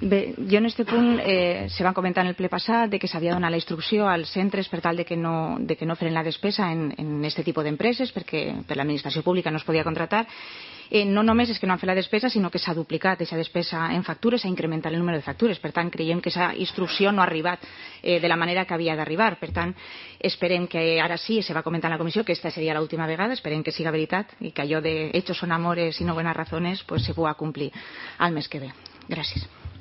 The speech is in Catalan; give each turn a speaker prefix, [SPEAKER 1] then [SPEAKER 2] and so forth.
[SPEAKER 1] Bé, jo en este punt se va comentar en el ple passat de que s'havia donat la instrucció als centres per tal de que no feren la despesa en este tipus d'empreses perquè per l'administració pública no es podia contratar. No només és que no han fet la despesa, sinó que s'ha duplicat aquesta despesa en factures, s'ha incrementat el número de factures. Per tant, creiem que aquesta instrucció no ha arribat de la manera que havia d'arribar. Per tant, esperem que ara sí, se va comentar en la comissió, que esta seria l'última vegada, esperem que siga veritat i que allò de hechos son amores y no buenas razones pues se puga complir al mes que ve. Gràcies.